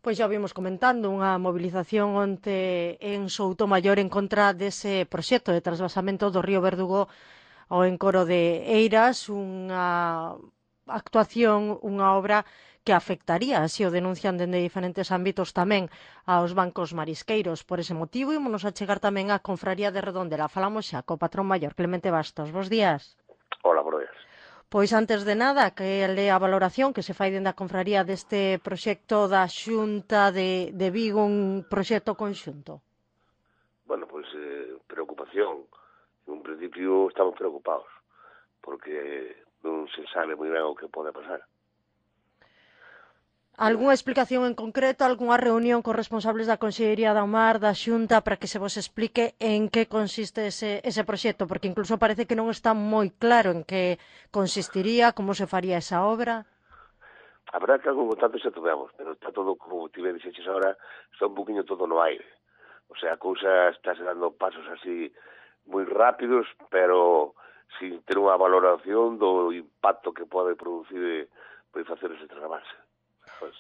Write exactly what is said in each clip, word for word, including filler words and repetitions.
Pois xa vimos comentando unha movilización onte en Soutomaior en contra dese proxecto de trasvasamento do río Verdugo ao encoro de Eiras, unha actuación, unha obra que afectaría, así o denuncian dende diferentes ámbitos tamén aos bancos marisqueiros. Por ese motivo, ímonos a chegar tamén á Confraría de Redondela. Falamos xa co patrón maior, Clemente Bastos. Bos días. Hola, buenos días. Pois antes de nada, que é a valoración que se fai dende a confraría deste proxecto da Xunta de, de Vigo, un proxecto conxunto. Bueno, pues eh, preocupación. En un principio estamos preocupados porque non se sabe moi ben o que pode pasar. Algúnha explicación en concreto, algunha reunión con responsables da Consellería da Mar, da Xunta, para que se vos explique en que consiste ese, ese proxecto? Porque incluso parece que non está moi claro en que consistiría, como se faría esa obra. A verdad que algún tanto xa tuvemos, pero está todo, como te dixeches ahora, está un poquinho todo no aire. O sea, a cousa está se dando pasos así moi rápidos, pero sin ter unha valoración do impacto que pode producir por facer ese trasvase. Pues,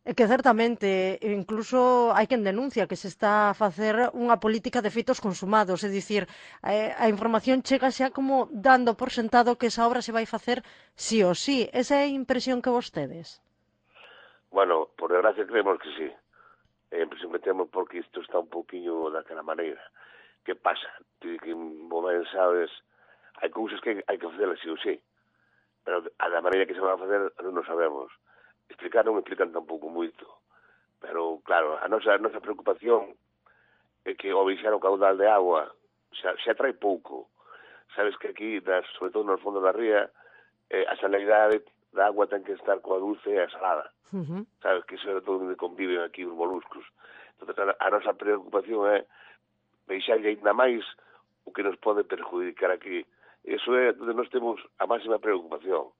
É que certamente, incluso hai quen denuncia que se está a facer unha política de feitos consumados, é dicir, a información chega xa como dando por sentado que esa obra se vai facer sí ou sí. Esa é a impresión que vos tedes? Bueno, por desgracia creemos que sí. Eh, sempre temos porque isto está un poquinho daquela maneira. Que pasa? Ti que mo ben sabes, hai cousas que hai que facelas sí ou sí, pero a da maneira que se van a facer non o sabemos. Explicar non explican tampouco moito, pero claro, a nosa, a nosa preocupación é que ao baixar o caudal de agua xa, xa trae pouco. Sabes que aquí, das, sobre todo nos fondos da ría, eh, a salinidade da agua ten que estar coa dulce e a salada. Uh -huh. Sabes que iso é todo onde conviven aquí os moluscos. Entón, a, a nosa preocupación é baixarlle ainda máis o que nos pode perjudicar aquí. Iso é onde nós temos a máxima preocupación.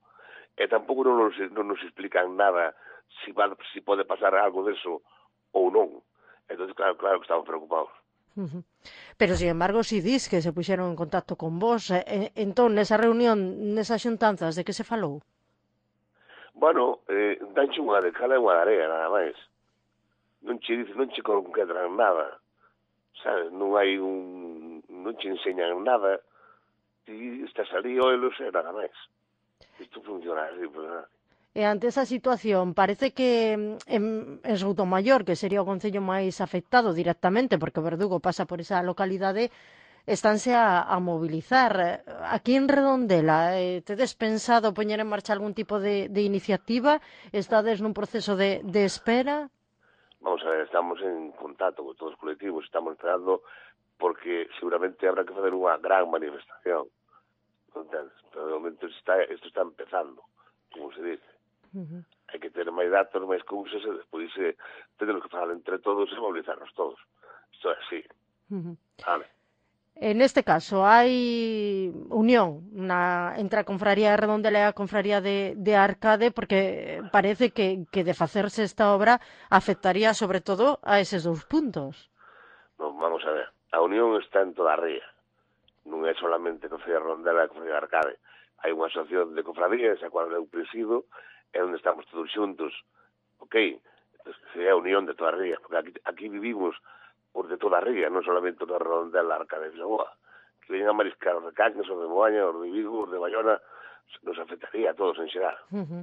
E tampouco non nos, non nos explican nada si, va, si pode pasar algo deso ou non. Entón, claro, claro que estamos preocupados. Uh -huh. Pero, sin embargo, si dis que se puxeron en contacto con vos, eh, entón, nesa reunión, nesas xuntanzas, de que se falou? Bueno, eh, danche unha de cala e unha de area, nada máis. Non che dicen, non che concretran nada. Sabes, non hai un... non che enseñan nada. Ti estás ali, oelos e nada máis. Isto funciona así, pues nada. E ante esa situación, parece que en, en Soutomaior, que sería o concello máis afectado directamente, porque o Verdugo pasa por esa localidade, estánse a, a mobilizar. Aquí en Redondela, eh, tedes pensado poñer en marcha algún tipo de, de iniciativa? Estades nun proceso de, de espera? Vamos a ver, estamos en contacto con todos os colectivos, estamos esperando porque seguramente habrá que fazer unha gran manifestación. Entonces, pero de momento está, isto está empezando, como se dice. Uh -huh. Hai que ter máis datos, máis cousas, e despois eh, temos que falar entre todos e mobilizarnos todos. Isto é así. Uh -huh. Vale. En este caso, hai unión na, entre a Confraría de Redondela e a Confraría de, de Arcade, porque parece que, que de facerse esta obra afectaría sobre todo a eses dous puntos. Non, vamos a ver. A unión está en toda a ría. Non é solamente Confraría de Redondela e a Confraría de Arcade. Hai unha asociación de confrarías, a cual eu presido, é onde estamos todos xuntos, ok? Entón, é a unión de toda a ría, porque aquí, aquí vivimos por de toda a ría, non solamente da Redondela, Arcade de Vilaboa, que veñen a mariscar os de Cangas, os de Moaña, os de Vigo, os de Bayona, nos afectaría a todos en xeral. Uh -huh.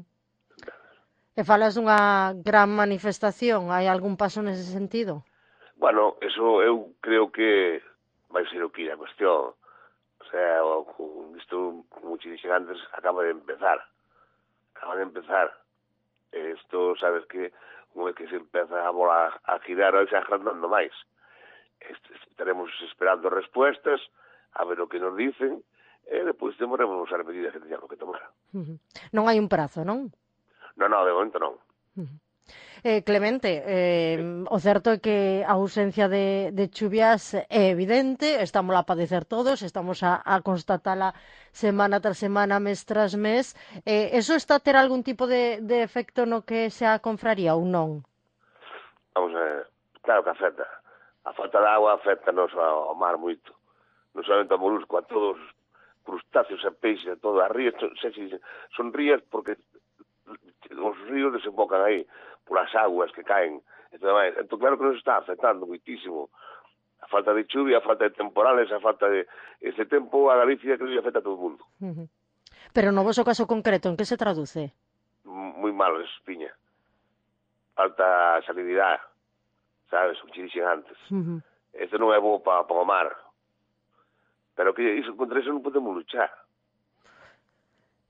E falas dunha gran manifestación, hai algún paso nese sentido? Bueno, eso eu creo que vai ser o que a cuestión. O sea, isto, como te dixen antes, acaba de empezar. Acaba de empezar. Isto, sabes que, unha vez que se empeza a bola a girar, vai se agrandando máis. Estaremos esperando respuestas, a ver o que nos dicen, e depois demoremos as medidas que teñamos que tomar. Uh -huh. Non hai un prazo, non? Non, non, de momento non. Uh -huh. Eh, Clemente, eh, sí. O certo é que a ausencia de, de chuvias é evidente, estamos a padecer todos, estamos a, a constatala semana tras semana, mes tras mes. Eh, eso está a ter algún tipo de, de efecto no que se a confraría ou non? Vamos a ver, claro que afecta. A falta de agua afecta-nos ao mar moito. Non solamente ao molusco, a todos os crustáceos e peixes, a todas as rías, son rías porque os ríos desembocan aí polas aguas que caen e todo máis. Entón, claro que nos está afectando moitísimo a falta de chuvia, a falta de temporales, a falta de... Este tempo a Galicia que lle afecta a todo o mundo. Uh -huh. Pero no voso caso concreto, en que se traduce? Moi malo, eso, piña. Falta salinidade, sabes, o que dixen antes. Uh -huh. Este non é bo para pa o mar. Pero que iso, contra iso non podemos luchar.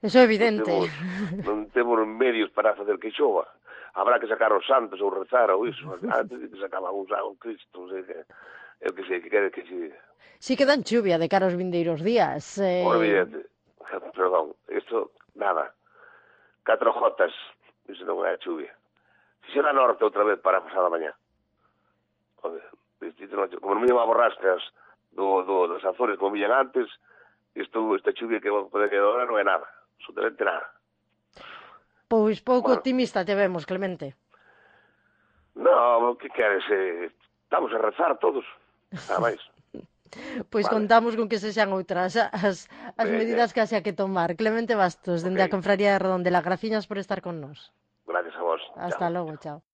Eso é evidente. Non temos, non temos medios para facer que xova. Habrá que sacar os santos ou rezar ou iso. Antes de que sacaban un San Cristo, sei que, eu que sei, que quere que xe... Si que dan chuvia de cara aos vindeiros días. Eh... Por evidente. Perdón, isto, nada. Catro jotas, iso non é chuvia. Se será norte outra vez para pasada mañá. Como non me llama borrascas do, do, dos Azores como villan antes, isto, esta chuvia que pode quedar ahora non é nada, absolutamente nada. Pois pouco bueno, optimista te vemos, Clemente. No, que queres? Eh, estamos a rezar todos, nada máis. Pois vale. Contamos con que sexan outras as, as medidas que haxa que tomar. Clemente Bastos, dende okay. a Confraría de Redondela, graciñas por estar con nós. Gracias a vos. Hasta chao. logo, chao.